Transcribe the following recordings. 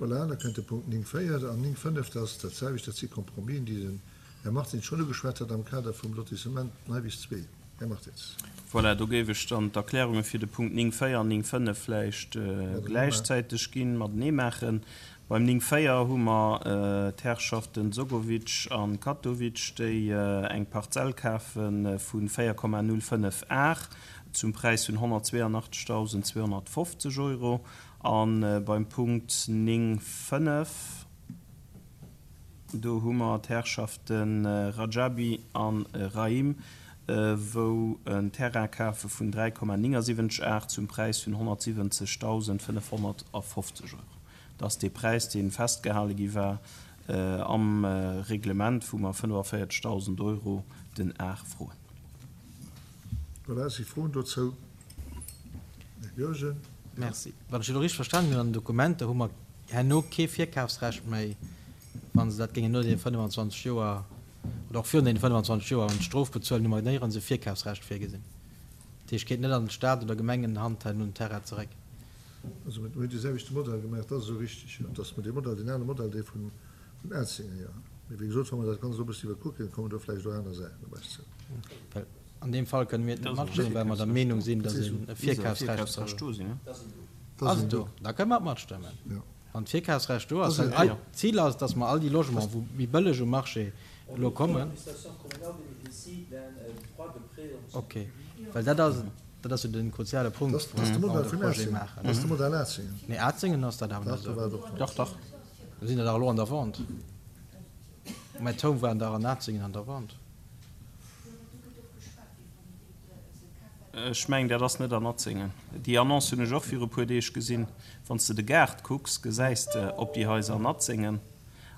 Voilà, da kënnt de Punkt 9, 4 an 9, 5, dat ass dat selwecht, dat si Compromisen, déi den Här Martins schonn ugeschwat hat am Kader vum Lotissement Neiwiss 2. Här Martins. Voilà, do géif ech dann d'Erklärunge fir de Punkt 9, 4 an 9, 5 vläicht gläichzäiteg ginn, matenee maachen. Beim 9, 4 hu mer d'Herrschaften Dzogovic a Katovic, déi eng Parzell kafe vu 4,05 Ar zum Präis vun 182.250 Euro. A beim Punkt 9, 5, do hu mer d'Herrschafte Rajabi a Rahim, wou en Terrain kafe vun 3,79 Ar zum Präis vun 170.550 Euro. Dat ass dee Präis, dee festgehale gi war am Reglement, wou mer 45.000 Euro den Ar froen. Voilà, si Froen dozou? Här Goergen. Merci. Wann ech elo richteg verstanen hunn an den Dokumenter, hu mer herno kee Virkafsrecht méi, wa se dat géingen no deene 25 Joer oder och virun deene 25 Joer an d'Strof bezuelen, hu mer néierens e Virkafsrecht virgesinn. Dat heescht, geet net an d'Stad oder Gemengenhand herno den Terrain zeréck. Also mir hunn dee selwechte Modell gemaach, dat ass esou richtig, jo, dass mer dee Modell, deen ale Modell, dee vun Atzingen, jo. Mee wéi gesot, wa mer dat Ganzt elo e bëssen iwwerkucken, kommen do vläicht och aner Saachen op eis zou. Well an deem Fall kënne mir et net matstëmmen, well mer der Meenung sinn, dass een e Virkafsrecht soll. Ass et do? Da kënne mer et matstëmmen. Wann d'Virkafsrecht do ass, well eist Zil ass, dass mer all déi Logementen, wou méi bëlleg um Marché elo kommen. Okay, well dat ass. Dat ass jo den kruziale Punkt, wou mer de Projet maachen. Dat ass de Modell Atzingen. Nee, Atzingen ass dat awer net esou. Dach, dach. Do sinn der dach elo an der Vente. Mä d'Home waren dach an Atzingen an der Vente. Ech mengen, dat ass net an Atzingen. Déi Annonce hunn ech och viru puer Deeg gesinn. Wann s de de Gaart kucks, gesäis de op déi Haiser an Atzingen.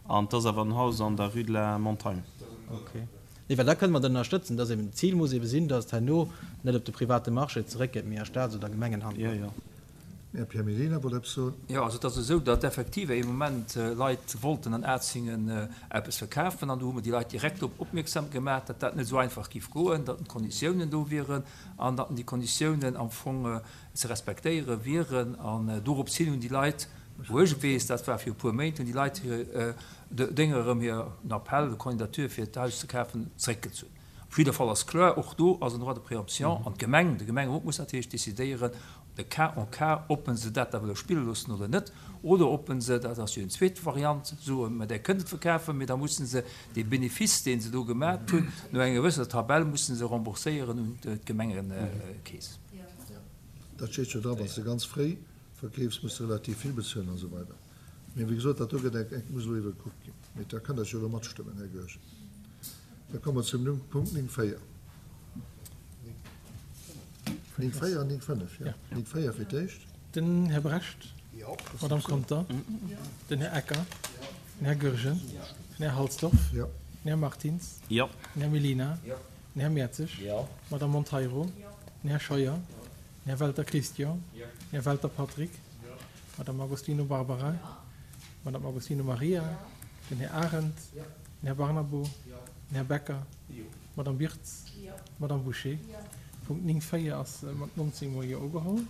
An 't ass awer en Haus an der Rue de la Montagne. Okay. Nee, well da kënne mer dat ënnerstëtzen, dass eben d'Zil muss ebe sinn, dass et herno net op de private Marché zeréckgeet, mee a Staats oder Gemengenhand bleift. Jo, jo. Här Pierre Mellina wollt eppes soen. Jo, also et ass esou, datt effektiv ee Moment Leit wollten an Atzingen eppes verkafen an do hu mer déi Leit direkt drop opmierksam gemaach, datt dat net esou einfach géif goen, datt d'Konditiounen do wieren an datt déi Konditiounen am Fong ze respektéiere wieren. An dorops hin hunn déi Leit, wou ech et weess, dat war viru puer Méint, hunn déi Leit hir Dénger erëm hir Appel de candidature fir d'Haus ze kafen zeréckgezunn. Op jidder Fall ass kloer, och do ass en Droit de préemption an d'Gemeng, de Gemengerot muss natierlech decidéieren, de cas en cas, ob en se dat da wëlle spille loossen oder net, oder ob en se, dat ass jo eng zweet Variant, soen, mä där kënnt et verkafen, mä da mussen se dee Benefice, dee se do gemat hunn, no enger gewëssener Tabell mussen se rembourséieren un d'Gemengekeess. Dat steet jo dra, wann s de ganz fréi verkeefs, muss de relativ vill bezuelen an esou weider. Mee wéi gesot, dat do gëtt eng, muss elo iwwerkuckt ginn. Mee da kënnt Der jo elo matstëmmen, Här Goergen. Da komme mer zum Punkt 9, 4. 9, 4 an 9, 5, jo. 9, 4 fir d'éischt. Den Här Brecht. D'Madame Conter. Den Här Ecker. Den Här Goergen. Den Här Halsdorf. Den Här Martins. Den Här Mellina. Den Här Mertzig. D'Madame Monteiro. Den Här Scheuer. Den Här Welter Christian. Den Här Welter Patrick. D'Madame Agostino Barbara, d'Madame Agostino Maria, den Här Arendt, den Här Barnabo, den Här Becker, d'Madame Birtz, d'Madame Bouché. Punkt 9, 4 ass mat 19 mol Jo ugeholl.